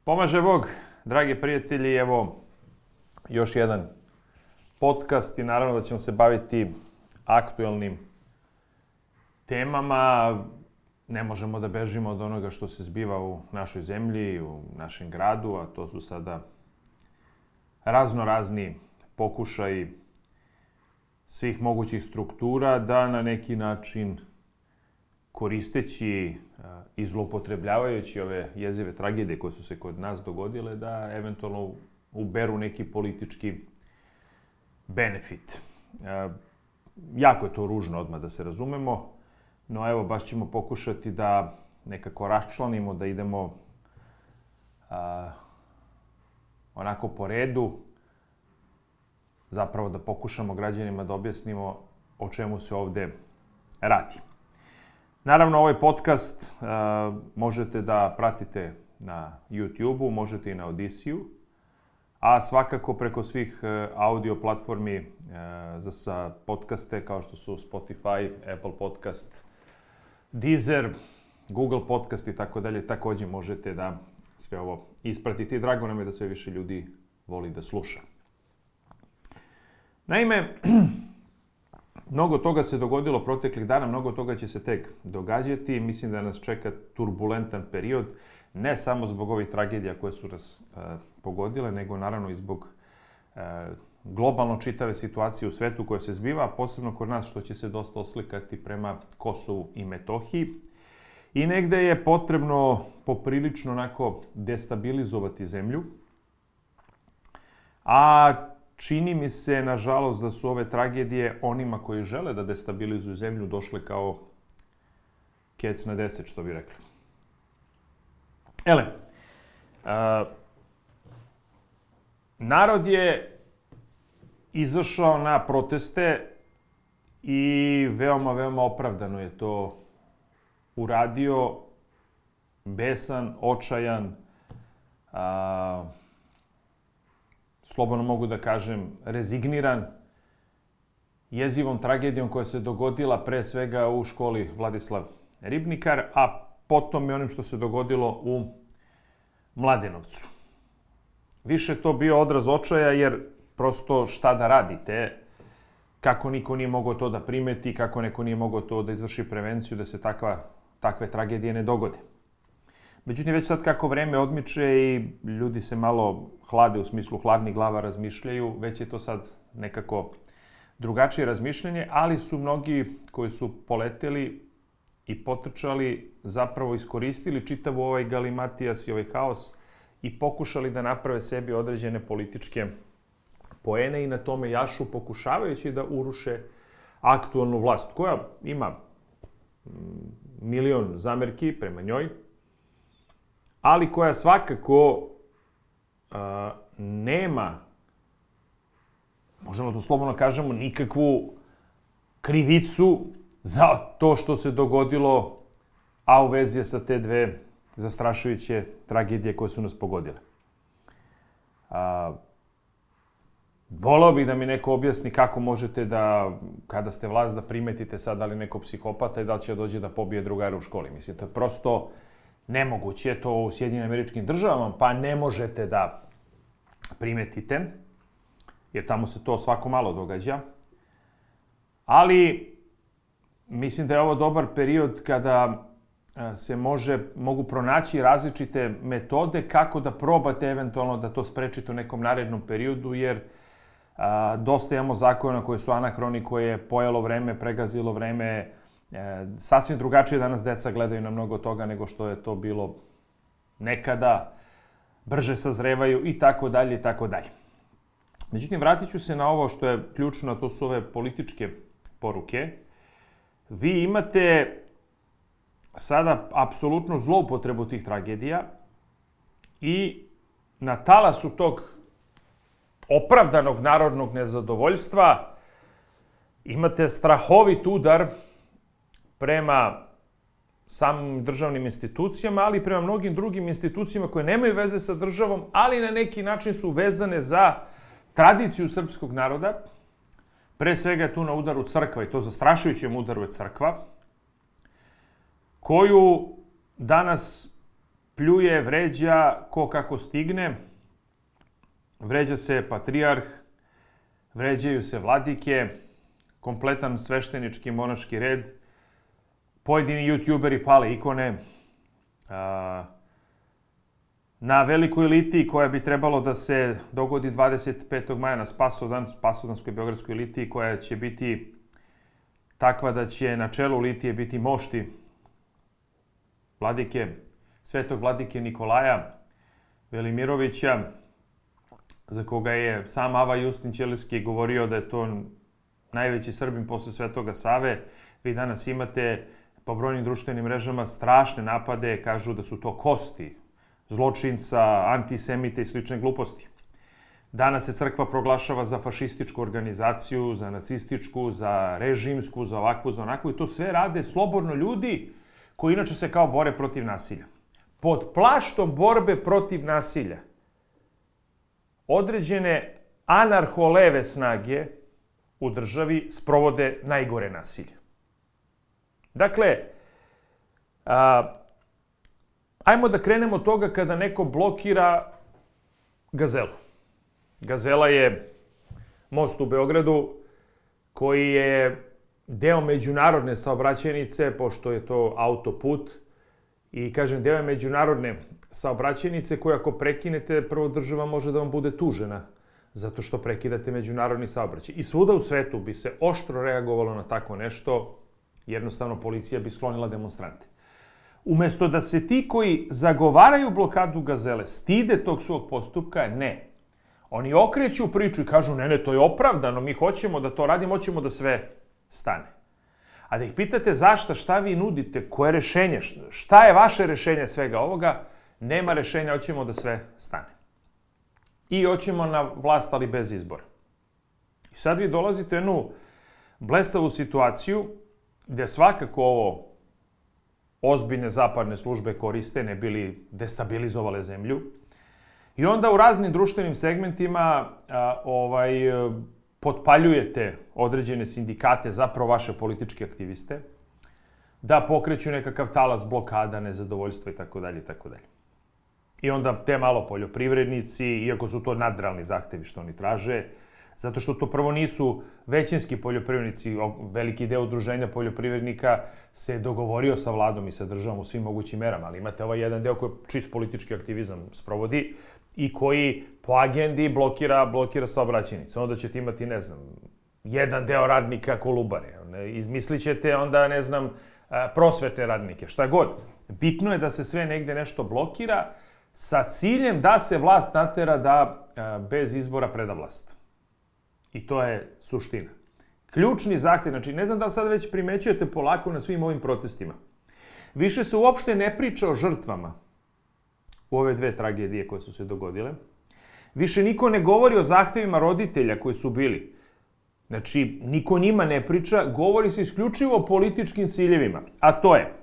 Pomaže Bog, dragi prijatelji, evo još jedan podcast i naravno da ćemo se baviti aktuelnim temama. Ne možemo da bežimo od onoga što se zbiva u našoj zemlji, u našem gradu, a to su sada raznorazni pokušaji svih mogućih struktura da na neki način koristeći i zloupotrebljavajući ove jezive tragedije koje su se kod nas dogodile, da eventualno uberu neki politički benefit. Jako je to ružno odmah da se razumemo, no evo baš ćemo pokušati da nekako raščlanimo, da idemo onako po redu, zapravo da pokušamo građanima da objasnimo o čemu se ovde radi. Naravno, ovaj podcast možete da pratite na YouTube-u, možete i na Odysseyu, a svakako preko svih audio platformi za podcaste kao što su Spotify, Apple Podcast, Deezer, Google Podcast i tako dalje, takođe možete da sve ovo ispratite. Drago nam je da sve više ljudi voli da sluša. Naime, mnogo toga se dogodilo proteklih dana, mnogo toga će se tek događati. Mislim da nas čeka turbulentan period, ne samo zbog ovih tragedija koje su nas pogodile, nego naravno i zbog globalno čitave situacije u svetu koja se zbiva, posebno kod nas što će se dosta oslikati prema Kosovu i Metohiji. I negde je potrebno poprilično onako destabilizovati zemlju, a čini mi se, nažalost, da su ove tragedije onima koji žele da destabilizuju zemlju došle kao kec na deset, što bi rekli. Narod je izašao na proteste i veoma opravdano je to uradio, besan, očajan, slobodno mogu da kažem, rezigniran jezivom tragedijom koja se dogodila pre svega u školi Vladislav Ribnikar, a potom i onim što se dogodilo u Mladenovcu. Više to bio odraz očaja jer prosto šta da radite, kako niko nije mogao to da primeti, kako neko nije mogao to da izvrši prevenciju, da se takve tragedije ne dogode. Međutim, već sad kako vreme odmiče i ljudi se malo hlade, u smislu hladnih glava razmišljaju, već je to sad nekako drugačije razmišljanje, ali su mnogi koji su poleteli i potrčali zapravo iskoristili čitavu ovaj galimatijas i ovaj haos i pokušali da naprave sebi određene političke poene i na tome jašu, pokušavajući da uruše aktualnu vlast, koja ima milion zamerki prema njoj, ali koja svakako nema, možemo to slobodno kažemo, nikakvu krivicu za to što se dogodilo, a u vezi je sa te dve zastrašujuće tragedije koje su nas pogodile. Voleo bih da mi neko objasni kako možete da, kada ste vlast, da primetite sad da li neko psihopata i da li će dođe da pobije drugara u školi. Mislim, to je prosto nemoguće, to u Sjedinjenim Američkim Državama, pa ne možete da primetite, jer tamo se to svako malo događa. Ali mislim da je ovo dobar period kada se mogu pronaći različite metode kako da probate eventualno da to sprečite u nekom narednom periodu, jer dosta imamo zakona koji su anahroni, koje je pojelo vreme, pregazilo vreme. Sasvim drugačije danas deca gledaju na mnogo toga nego što je to bilo nekada, brže sazrevaju i tako dalje i tako dalje. Međutim, vratit ću se na ovo što je ključno, a to su ove političke poruke. Vi imate sada apsolutno zloupotrebu tih tragedija i na talasu tog opravdanog narodnog nezadovoljstva imate strahovit udar prema samim državnim institucijama, ali i prema mnogim drugim institucijama koje nemaju veze sa državom, ali na neki način su vezane za tradiciju srpskog naroda. Pre svega je tu na udaru crkva, i to zastrašujućem udaru je crkva, koju danas pljuje, vređa ko kako stigne, vređa se patrijarh, vređaju se vladike, kompletan sveštenički monaški red, pojedini youtuberi pale ikone, na velikoj litiji koja bi trebalo da se dogodi 25. maja na Spasovdanskoj beogradskoj litiji, koja će biti takva da će na čelu litije biti mošti vladike, svetog vladike Nikolaja Velimirovića, za koga je sam Ava Justin Ćelijski govorio da je to najveći Srbin posle Svetoga Save. Vi danas imate po brojnim društvenim mrežama strašne napade, kažu da su to kosti zločinca, antisemite i slične gluposti. Danas se crkva proglašava za fašističku organizaciju, za nacističku, za režimsku, za ovakvu, za onakvu, i to sve rade slobodno ljudi koji inače se kao bore protiv nasilja. Pod plaštom borbe protiv nasilja određene anarholeve snage u državi sprovode najgore nasilje. Dakle, ajmo da krenemo od toga kada neko blokira Gazelu. Gazela je most u Beogradu koji je deo međunarodne saobraćajnice, pošto je to autoput. I kažem, deo je međunarodne saobraćajnice koje ako prekinete, prvo država može da vam bude tužena zato što prekidate međunarodni saobraćaj. I svuda u svetu bi se oštro reagovalo na tako nešto, jednostavno policija bi sklonila demonstrante. Umesto da se ti koji zagovaraju blokadu Gazele stide tog svog postupka, ne. Oni okreću priču i kažu, ne, to je opravdano, mi hoćemo da to radimo, hoćemo da sve stane. A da ih pitate zašto, šta vi nudite, koje rešenje, šta je vaše rešenje svega ovoga, nema rešenja, hoćemo da sve stane. I hoćemo na vlast, ali bez izbora. I sad vi dolazite u jednu blesavu situaciju gde svakako ovo ozbiljne zapadne službe koriste, ne bili destabilizovale zemlju. I onda u raznim društvenim segmentima potpaljujete određene sindikate, zapravo vaše političke aktiviste, da pokreću nekakav talas blokada, nezadovoljstva itd. itd. I onda te malo poljoprivrednici, iako su to nadrealni zahtevi što oni traže, zato što to prvo nisu većinski poljoprivrednici, veliki deo udruženja poljoprivrednika se dogovorio sa vladom i sa državom u svim mogućim merama, ali imate ovaj jedan deo koji čist politički aktivizam sprovodi i koji po agendi blokira saobraćajnice. Onda ćete imati, ne znam, jedan deo radnika Kolubare, izmislit ćete onda, ne znam, prosvetne radnike, šta god. Bitno je da se sve negde nešto blokira sa ciljem da se vlast natera da bez izbora preda vlast. I to je suština. Ključni zahtev, znači ne znam da li sad već primećujete polako na svim ovim protestima. Više se uopšte ne priča o žrtvama u ove dve tragedije koje su se dogodile. Više niko ne govori o zahtevima roditelja koji su bili. Znači, niko njima ne priča, govori se isključivo o političkim ciljevima. A to je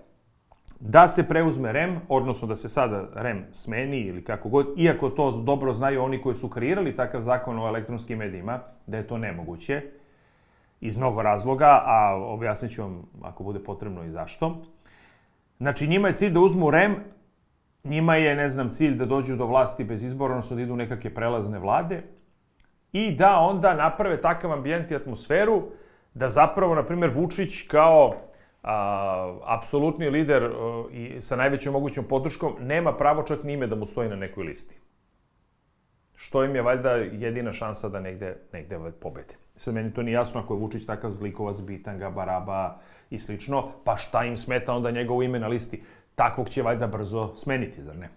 da se preuzme REM, odnosno da se sada REM smeni ili kako god, iako to dobro znaju oni koji su kreirali takav zakon o elektronskim medijima, da je to nemoguće, iz mnogo razloga, a objasnit ću vam ako bude potrebno i zašto. Znači, njima je cilj da uzmu REM, njima je, ne znam, cilj da dođu do vlasti bez izbora, odnosno da idu nekakve prelazne vlade i da onda naprave takav ambijent i atmosferu da zapravo, na primjer, Vučić kao apsolutni lider i sa najvećom mogućom podrškom nema pravo čak ni ime da mu stoji na nekoj listi. Što im je valjda jedina šansa da negde pobede. Sad meni to nije jasno ako je Vučić takav zlikovac, bitanga, baraba i slično, pa šta im smeta onda njegovo ime na listi? Takvog će valjda brzo smeniti, zar ne?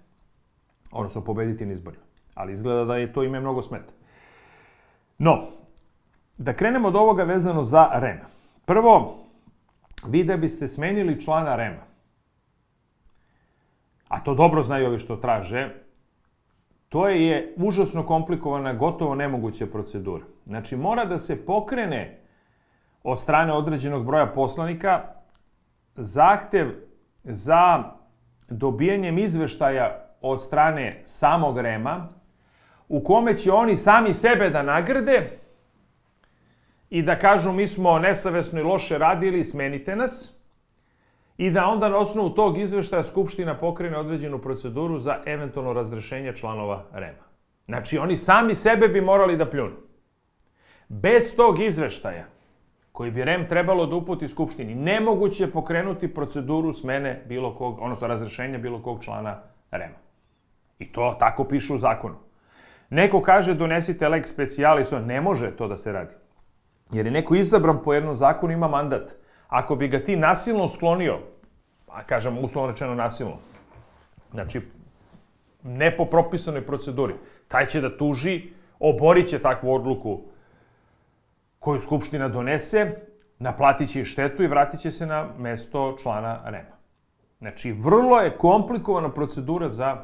Odnosno pobediti na izborima. Ali izgleda da je to ime mnogo smeta. No, da krenemo od ovoga vezano za REM. Prvo, vi da biste smenili člana REM-a, a to dobro znaju ovi što traže, to je užasno komplikovana, gotovo nemoguća procedura. Znači, mora da se pokrene od strane određenog broja poslanika zahtev za dobijanjem izveštaja od strane samog REM-a, u kome će oni sami sebe da nagrade i da kažu mi smo nesavesno i loše radili, smenite nas. i da onda na osnovu tog izveštaja Skupština pokrene određenu proceduru za eventualno razrešenje članova REM-a. Znači, oni sami sebe bi morali da pljunu. Bez tog izveštaja, koji bi REM trebalo da uputi Skupštini, nemoguće je pokrenuti proceduru smene bilo kog, odnosno razrešenja bilo kog člana REM-a. I to tako piše u zakonu. Neko kaže donesite lex specialis, ne može to da se radi. Jer je neko izabran po jednom zakonu, ima mandat. Ako bi ga ti nasilno sklonio, a kažem uslovno rečeno nasilno, znači ne po propisanoj proceduri, taj će da tuži, oborit će takvu odluku koju Skupština donese, naplatit će štetu i vratit će se na mesto člana REM-a. Znači, vrlo je komplikovana procedura za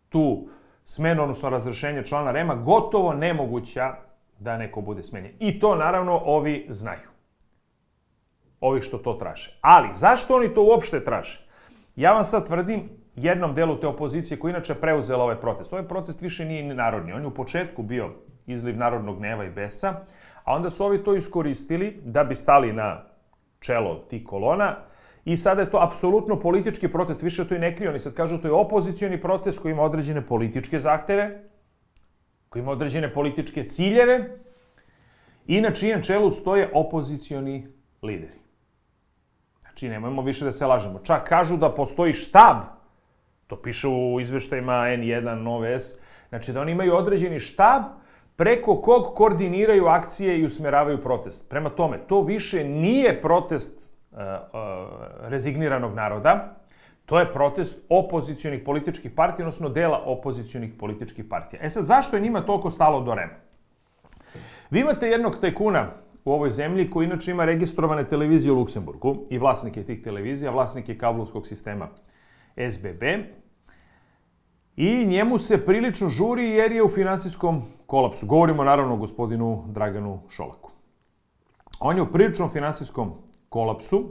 tu smenu, odnosno razrešenje člana REM-a, gotovo nemoguća da neko bude smenjen. I to, naravno, ovi znaju. Ovi što to traže. Ali, zašto oni to uopšte traže? Ja vam sad tvrdim jednom delu te opozicije koji inače preuzela ovaj protest. Ovaj protest više nije ni narodni. On je u početku bio izliv narodnog gneva i besa, a onda su ovi to iskoristili da bi stali na čelo tih kolona i sada je to apsolutno politički protest. Više to i ne kriju. Oni sad kažu to je opozicioni protest koji ima određene političke zahteve, koji ima određene političke ciljeve i na čijem čelu stoje opozicioni lideri. Znači, nemojmo više da se lažemo. Čak kažu da postoji štab, to piše u izveštajima N1, Nove S, znači da oni imaju određeni štab preko kog koordiniraju akcije i usmeravaju protest. Prema tome, to više nije protest rezigniranog naroda, to je protest opozicionih političkih partija, odnosno dela opozicionih političkih partija. E sad, zašto je njima toliko stalo do REM-a? Vi imate jednog tajkuna u ovoj zemlji koji inače ima registrovane televizije u Luksemburgu i vlasnik je tih televizija, vlasnik je kablovskog sistema SBB i njemu se prilično žuri jer je u finansijskom kolapsu. Govorimo naravno o gospodinu Draganu Šolaku. On je u priličnom finansijskom kolapsu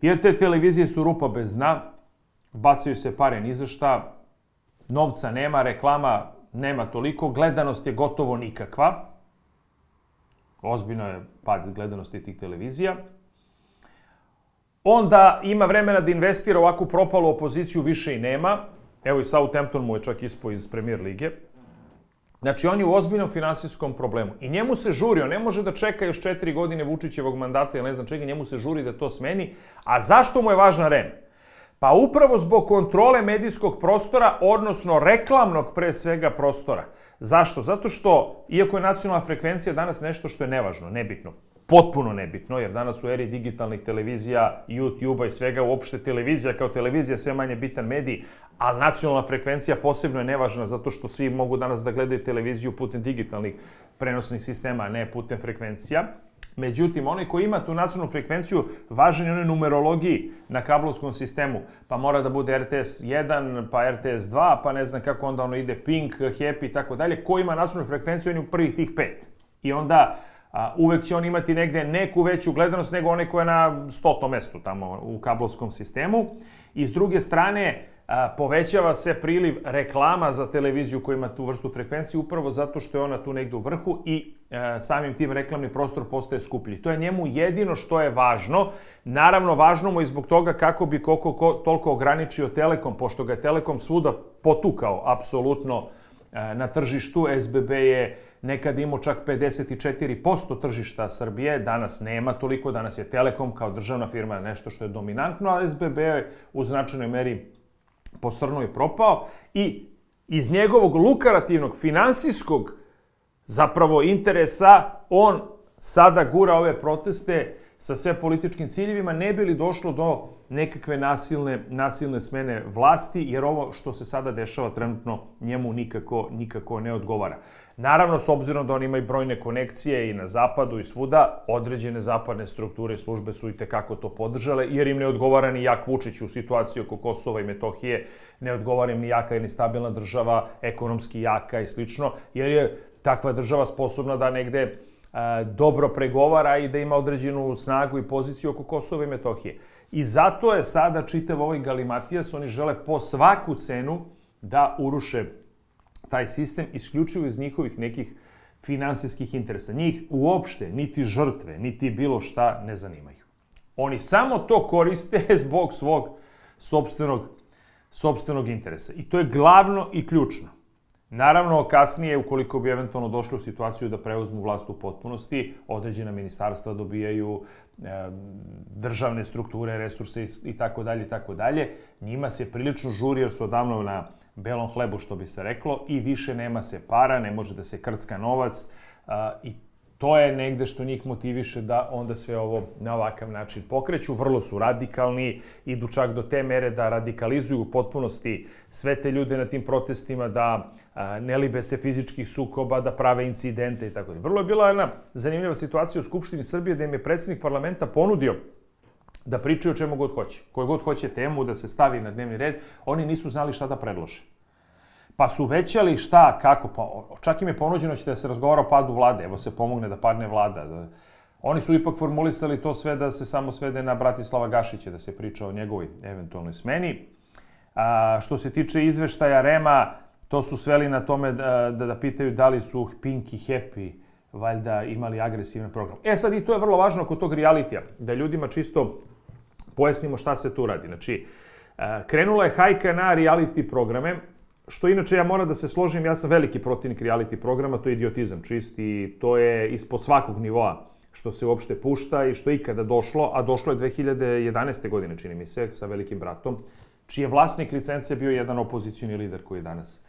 jer te televizije su rupa bez dna, bacaju se pare ni za šta, novca nema, reklama nema toliko, gledanost je gotovo nikakva. Ozbiljno je pad gledanosti tih televizija. Onda ima vremena da investira u ovakvu propalu opoziciju, više i nema. Evo i Southampton mu je čak ispao iz Premier lige. Znači, on je u ozbiljnom finansijskom problemu. I njemu se žuri, on ne može da čeka još 4 godine Vučićevog mandata ili ne znam čega, njemu se žuri da to smeni. A zašto mu je važna REM? Pa upravo zbog kontrole medijskog prostora, odnosno reklamnog pre svega prostora. Zašto? Zato što, iako je nacionalna frekvencija danas nešto što je nevažno, nebitno, potpuno nebitno, jer danas u eri digitalnih televizija, YouTube-a i svega, uopšte televizija kao televizija sve manje bitan medij, ali nacionalna frekvencija posebno je nevažna zato što svi mogu danas da gledaju televiziju putem digitalnih prenosnih sistema, a ne putem frekvencija. Međutim, onaj koji ima tu nacionalnu frekvenciju, važan je onoj numerologiji na kablovskom sistemu, pa mora da bude RTS 1, pa RTS 2, pa ne znam kako onda ono ide, Pink, Happy i tako dalje. Ko ima nacionalnu frekvenciju, on je u prvih tih 5. I onda uvek će on imati negde neku veću gledanost nego onaj ko je na 100. mestu tamo u kablovskom sistemu. I s druge strane, povećava se priliv reklama za televiziju koja ima tu vrstu frekvencije upravo zato što je ona tu negde u vrhu i samim tim reklamni prostor postaje skuplji. To je njemu jedino što je važno. Naravno, važno mu je zbog toga kako bi koliko toliko ograničio Telekom, pošto ga je Telekom svuda potukao apsolutno na tržištu. SBB je nekad imao čak 54% tržišta Srbije, danas nema toliko, danas je Telekom kao državna firma nešto što je dominantno, a SBB je u značajnoj meri posrnuo i propao i iz njegovog lukrativnog finansijskog zapravo interesa on sada gura ove proteste sa sve političkim ciljevima, ne bi li došlo do nekakve nasilne smene vlasti, jer ovo što se sada dešava trenutno njemu nikako ne odgovara. Naravno, s obzirom da on ima i brojne konekcije i na zapadu i svuda, određene zapadne strukture i službe su i tekako to podržale, jer im ne odgovara ni jak Vučić u situaciji oko Kosova i Metohije, ne odgovara im ni jaka i ni stabilna država, ekonomski jaka i slično, jer je takva država sposobna da negde dobro pregovara i da ima određenu snagu i poziciju oko Kosova i Metohije. I zato je sada čitav ovaj galimatijas, oni žele po svaku cenu da uruše taj sistem isključivo iz njihovih nekih finansijskih interesa. Njih uopšte, niti žrtve, niti bilo šta ne zanimaju. Oni samo to koriste zbog svog sopstvenog interesa. I to je glavno i ključno. Naravno, kasnije, ukoliko bi eventualno došli u situaciju da preuzmu vlast u potpunosti, određena ministarstva dobijaju državne strukture, resurse i tako dalje, njima se prilično žuri jer su odavno na belom hlebu, što bi se reklo, i više nema se para, ne može da se krcka novac i to je negde što njih motiviše da onda sve ovo na ovakav način pokreću. Vrlo su radikalni, idu čak do te mere da radikalizuju u potpunosti sve te ljude na tim protestima, da ne libe se fizičkih sukoba, da prave incidente i tako dalje. Vrlo je bila jedna zanimljiva situacija u Skupštini Srbije da im je predsjednik parlamenta ponudio da pričaju o čemu god hoće. Koju god hoće temu da se stavi na dnevni red, oni nisu znali šta da predlože. Pa su većali šta, kako, pa čak im je ponuđeno da se razgovara o padu vlade, evo se pomogne da padne vlada. Oni su ipak formulisali to sve da se samo svede na Bratislava Gašića, da se priča o njegovoj eventualnoj smeni. Što se tiče izveštaja REM-a, to su sveli na tome da pitaju da li su Pink i Happy valjda imali agresivan program. Sad i to je vrlo važno kod tog realitija, da ljudima čisto pojasnimo šta se tu radi. Znači, krenula je hajka na reality programe, što inače ja moram da se složim, ja sam veliki protivnik reality programa, to je idiotizam čist i to je ispod svakog nivoa što se uopšte pušta i što je ikada došlo, a došlo je 2011. godine, čini mi se, sa Velikim bratom, čiji je vlasnik licence bio jedan opozicioni lider koji je danas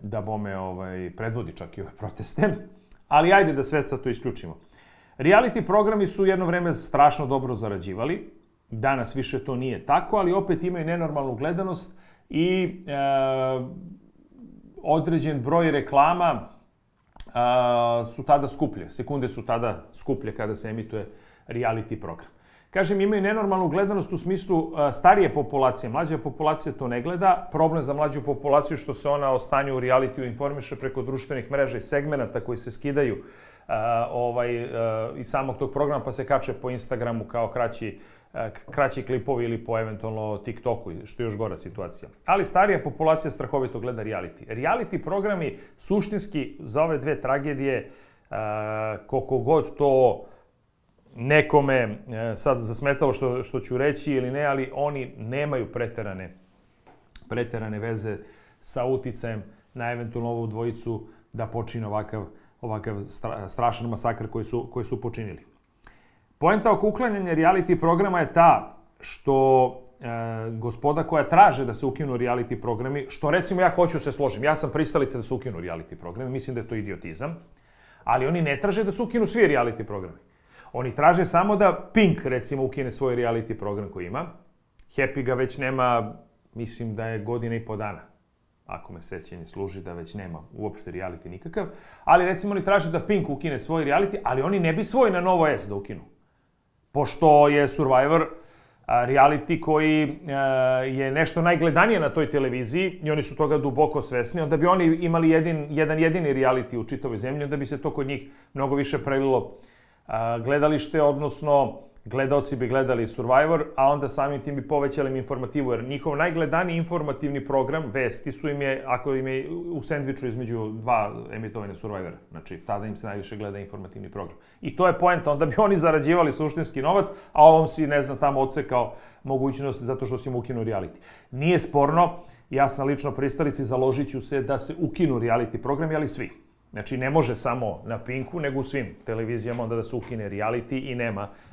da bome predvodi čak i ove proteste. Ali ajde da sve sad to isključimo. Reality programi su jedno vreme strašno dobro zarađivali, danas više to nije tako, ali opet imaju nenormalnu gledanost i određen broj reklama su tada skuplje. Sekunde su tada skuplje kada se emituje reality program. Kažem, imaju nenormalnu gledanost u smislu starije populacije. Mlađa populacija to ne gleda. Problem za mlađu populaciju što se ona o stanju u realitiju informiše preko društvenih mreža i segmenata koji se skidaju iz samog tog programa pa se kače po Instagramu kao kraći klipovi ili po eventualno TikToku, što je još gora situacija. Ali starija populacija strahovito gleda reality. Reality programi suštinski za ove dve tragedije, koliko god to nekome sad zasmetalo što ću reći ili ne, ali oni nemaju preterane veze sa uticajem na eventualno ovu dvojicu da počine ovakav strašan masakr koji su počinili. Poenta oko uklanjanja reality programa je ta što gospoda koja traže da se ukinu reality programi, što recimo ja hoću se složim, ja sam pristalica da se ukinu reality programi, mislim da je to idiotizam, ali oni ne traže da se ukinu svi reality programi. Oni traže samo da Pink, recimo, ukine svoj reality program koji ima. Happy ga već nema, mislim da je godina i po dana. Ako me sećanje služi da već nema uopšte reality nikakav. Ali recimo oni traže da Pink ukine svoj reality, ali oni ne bi svoj na Novo S da ukinu. Pošto je Survivor reality koji je nešto najgledanije na toj televiziji i oni su toga duboko svesni, onda bi oni imali jedan jedini reality u čitavoj zemlji, onda bi se to kod njih mnogo više prelilo gledalište, odnosno gledaoci bi gledali Survivor, a onda samim tim bi povećali im informativu, jer njihov najgledaniji informativni program, vesti su im je, ako im je u sendviču između dva emitovanja Survivora. Znači, tada im se najviše gleda informativni program. I to je poenta, onda bi oni zarađivali suštinski novac, a ovom si, ne znam, tamo odsekao mogućnost zato što si mu ukinu reality. Nije sporno, ja sam lično pristalici, založit ću se da se ukinu reality programi, ali svi. Znači, ne može samo na Pinku, nego u svim televizijama onda da se ukine reality i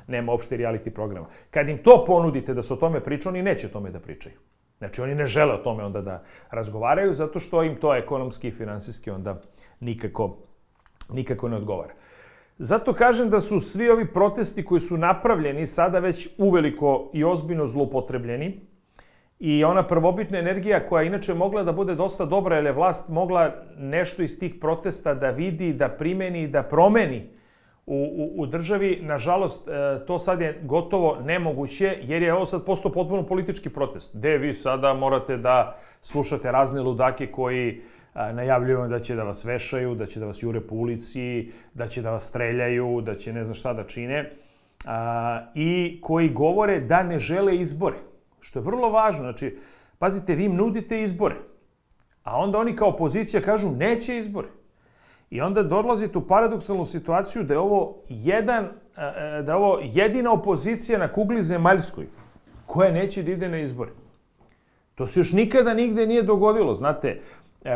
nema opšte reality programa. Kad im to ponudite da se o tome priča, oni neće o tome da pričaju. Znači, oni ne žele o tome onda da razgovaraju, zato što im to ekonomski i finansijski onda nikako ne odgovara. Zato kažem da su svi ovi protesti koji su napravljeni sada već uveliko i ozbiljno zloupotrebljeni. I ona prvobitna energija koja inače mogla da bude dosta dobra, jer je vlast mogla nešto iz tih protesta da vidi, da primeni, da promeni u državi, nažalost, to sad je gotovo nemoguće, jer je ovo sad postao potpuno politički protest, gde vi sada morate da slušate razne ludake koji najavljuju da će da vas vešaju, da će da vas jure po ulici, da će da vas streljaju, da će ne znam šta da čine, i koji govore da ne žele izbore. Što je vrlo važno. Znači, pazite, vi im nudite izbore, a onda oni kao opozicija kažu neće izbore. I onda dolazite u paradoksalnu situaciju da je ovo jedina opozicija na kugli zemaljskoj koja neće da ide na izbore. To se još nikada nigde nije dogodilo. Znate,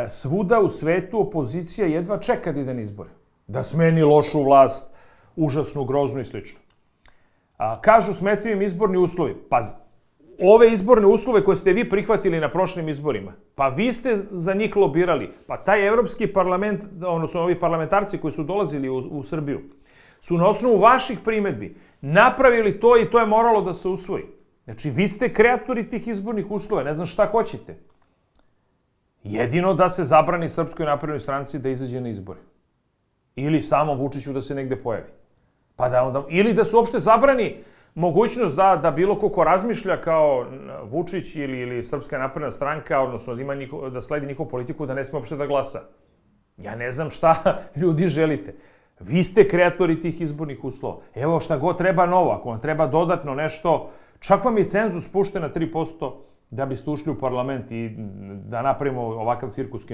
svuda u svetu opozicija jedva čeka da ide na izbore. Da smeni lošu vlast, užasnu, groznu i slično. Kažu smetaju im izborni uslovi. Pa ove izborne uslove koje ste vi prihvatili na prošlim izborima, pa vi ste za njih lobirali. Pa taj Evropski parlament, odnosno ovi parlamentarci koji su dolazili u Srbiju, su na osnovu vaših primedbi napravili to i to je moralo da se usvoji. Znači, vi ste kreatori tih izbornih uslova, ne znam šta hoćete. Jedino da se zabrani Srpskoj naprednoj stranci da izađe na izbore. Ili samo Vučiću da se negde pojavi. Pa da onda, ili da se uopšte zabrani mogućnost da bilo ko razmišlja kao Vučić ili Srpska napredna stranka, odnosno da sledi njihovu politiku, da ne sme uopšte da glasa. Ja ne znam šta ljudi želite. Vi ste kreatori tih izbornih uslova. Evo šta god treba novo, ako vam treba dodatno nešto, čak vam je cenzus spušten na 3% da biste ušli u parlament i da napravimo ovakav cirkus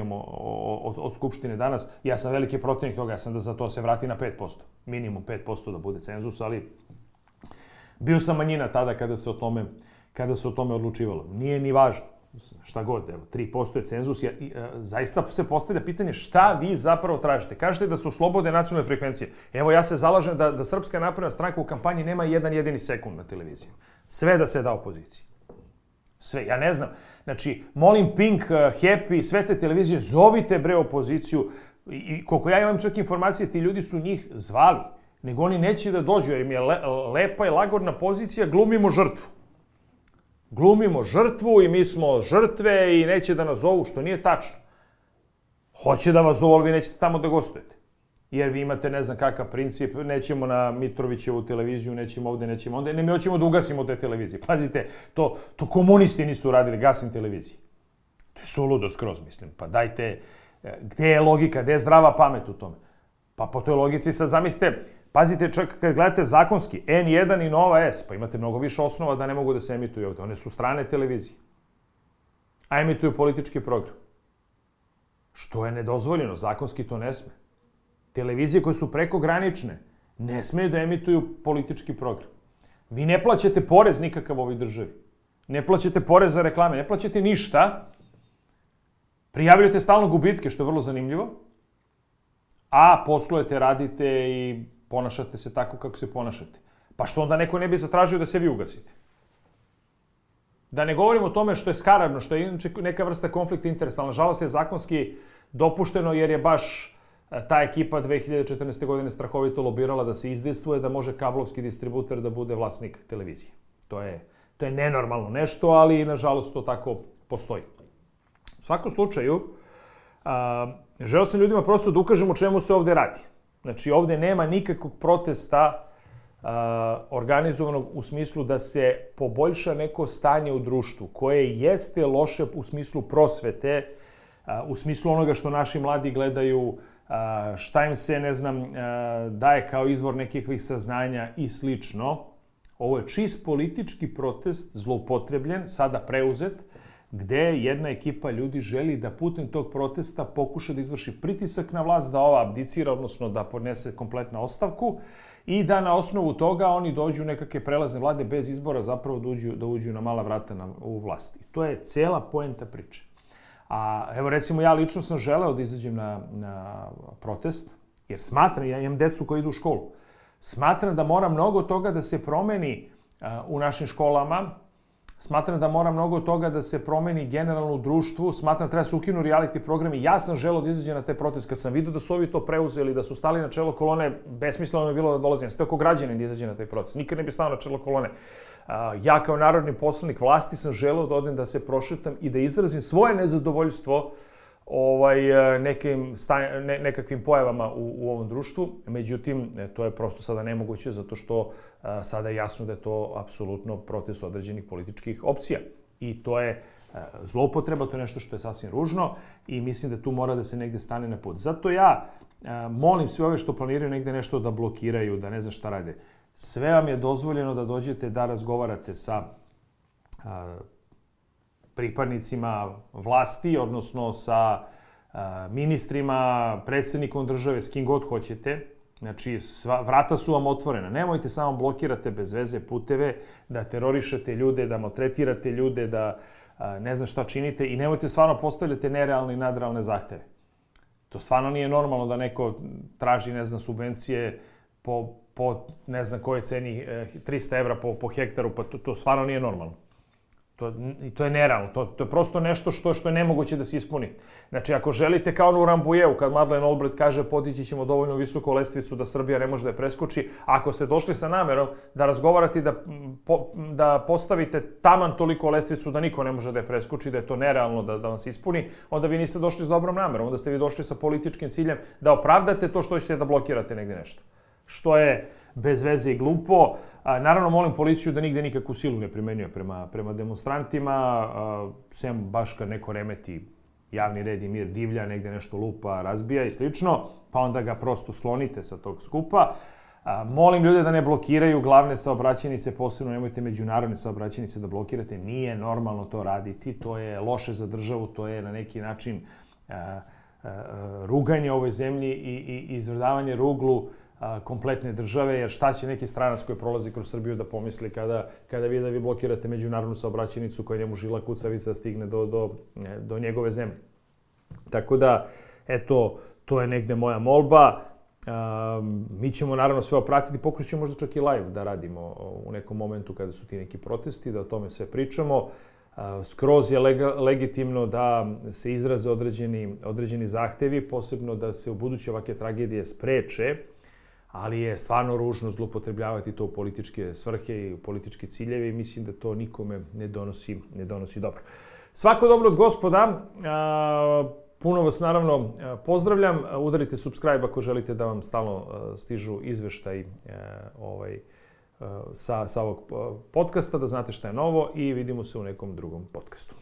od Skupštine danas. Ja sam veliki protivnik toga, ja sam da za to se vrati na 5%. Minimum 5% da bude cenzus, ali bio sam manjina tada kada se o tome odlučivalo. Nije ni važno. Šta god, evo, 3% je cenzus. Zaista se postavlja pitanje šta vi zapravo tražite. Kažete da su slobode nacionalne frekvencije. Evo, ja se zalažem da Srpska napredna stranka u kampanji nema jedan jedini sekund na televiziji. Sve da se da opoziciji. Sve, ja ne znam. Znači, molim Pink, Happy, sve te televizije, zovite bre opoziciju. I koliko ja imam čak informacije, ti ljudi su njih zvali. Nego oni neće da dođu, jer im je lepa i lagodna pozicija, glumimo žrtvu. Glumimo žrtvu i mi smo žrtve i neće da nas zovu, što nije tačno. Hoće da vas zovu, ali vi nećete tamo da gostujete. Jer vi imate ne znam kakav princip, nećemo na Mitrovićevu televiziju, nećemo ovde, nećemo onda, ne, mi hoćemo da ugasimo te televizije. Pazite, to komunisti nisu radili, gasim televizije. To je suludo skroz, mislim. Pa dajte, gde je logika, gde je zdrava pamet u tome? Pa po toj logici sad zamislite, pazite, čak kad gledate zakonski, N1 i Nova S, pa imate mnogo više osnova da ne mogu da se emituju ovde. One su strane televizije. A emituju politički program. Što je nedozvoljeno, zakonski to ne sme. Televizije koje su prekogranične ne smeju da emituju politički program. Vi ne plaćate porez nikakav u ovoj državi. Ne plaćate porez za reklame, ne plaćate ništa. Prijavljujete stalno gubitke, što je vrlo zanimljivo. A poslujete, radite i ponašate se tako kako se ponašate. Pa što onda neko ne bi zatražio da se vi ugasite? Da ne govorimo o tome što je skaradno, što je inače neka vrsta konflikta interesa, ali nažalost je zakonski dopušteno jer je baš ta ekipa 2014. godine strahovito lobirala da se izdejstvuje da može kablovski distributer da bude vlasnik televizije. To je nenormalno nešto, ali nažalost to tako postoji. U svakom slučaju, želeo sam ljudima prosto da ukažem o čemu se ovde radi. Znači, ovde nema nikakvog protesta organizovanog u smislu da se poboljša neko stanje u društvu, koje jeste loše u smislu prosvete, u smislu onoga što naši mladi gledaju, šta im se, ne znam, daje kao izvor nekih saznanja i slično. Ovo je čist politički protest, zloupotrebljen, sada preuzet, gde jedna ekipa ljudi želi da putem tog protesta pokuša da izvrši pritisak na vlast, da ova abdicira, odnosno da podnese kompletnu ostavku i da na osnovu toga oni dođu u nekakve prelazne vlade bez izbora, zapravo da uđu na mala vrata u vlasti. To je cela poenta priče. A evo recimo ja lično sam želeo da izađem na protest, jer smatram, ja imam decu koji idu u školu, smatram da mora mnogo toga da se promeni u našim školama, smatram da mora mnogo toga da se promeni generalno u društvu, smatram da treba se ukinu reality programi. Ja sam želeo da izađem na taj protest, kad sam vidio da su ovi to preuzeli, da su stali na čelo kolone, besmisleno mi je bilo da dolazim. Ja sam tako građanin da izađem na taj protest. Nikad ne bi stao na čelo kolone. Ja kao narodni poslanik vlasti sam želeo da odem da se prošetam i da izrazim svoje nezadovoljstvo nekakvim pojavama u ovom društvu. Međutim, to je prosto sada nemoguće zato što sada je jasno da je to apsolutno protest određenih političkih opcija. I to je zloupotreba, to je nešto što je sasvim ružno i mislim da tu mora da se negde stane na put. Zato ja molim sve ove što planiraju negde nešto da blokiraju, da ne znam šta rade. Sve vam je dozvoljeno da dođete da razgovarate sa pripadnicima vlasti, odnosno sa ministrima, predsjednikom države, s kim god hoćete. Znači, vrata su vam otvorena. Nemojte samo blokirate bez veze puteve, da terorišete ljude, da maltretirate ljude, da ne znam šta činite i nemojte stvarno postavljate nerealne i nadrealne zahteve. To stvarno nije normalno da neko traži, ne znam, subvencije po ne znam koje ceni 300 evra po hektaru, pa to stvarno nije normalno. To je nerealno, to je prosto nešto što je nemoguće da se ispuni. Znači, ako želite, kao u Rambouilletu, kad Madeleine Albright kaže podići ćemo dovoljno visoku lestvicu da Srbija ne može da je preskoči, ako ste došli sa namerom da razgovarate i da postavite taman toliko lestvicu da niko ne može da je preskoči, da je to nerealno da vam se ispuni, onda vi niste došli s dobrom namerom, onda ste vi došli sa političkim ciljem da opravdate to što ćete da blokirate negde nešto. Što je bez veze i glupo. Naravno, molim policiju da nigde nikakvu silu ne primenjuje prema demonstrantima, sem baš kad neko remeti javni red i mir, divlja, negde nešto lupa, razbija i slično, pa onda ga prosto sklonite sa tog skupa. Molim ljude da ne blokiraju glavne saobraćajnice, posebno nemojte međunarodne saobraćajnice da blokirate. Nije normalno to raditi, to je loše za državu, to je na neki način ruganje ovoj zemlji i izvrdavanje ruglu kompletne države, jer šta će neki stranac koji prolazi kroz Srbiju da pomisli kada vidi da vi blokirate međunarodnu saobraćajnicu koja njemu žila kucavica stigne do njegove zemlje. Tako da, eto, to je negde moja molba. Mi ćemo naravno sve opratiti, pokušat ćemo možda čak i live da radimo u nekom momentu kada su ti neki protesti, da o tome sve pričamo. Skroz je legitimno da se izraze određeni zahtevi, posebno da se u buduće ovakve tragedije spreče, ali je stvarno ružno zloupotrebljavati to u političke svrhe i u političke ciljeve i mislim da to nikome ne donosi dobro. Svako dobro od Gospoda. Puno vas naravno pozdravljam. Udarite subscribe ako želite da vam stalno stižu izveštaj sa ovog podcasta, da znate šta je novo i vidimo se u nekom drugom podcastu.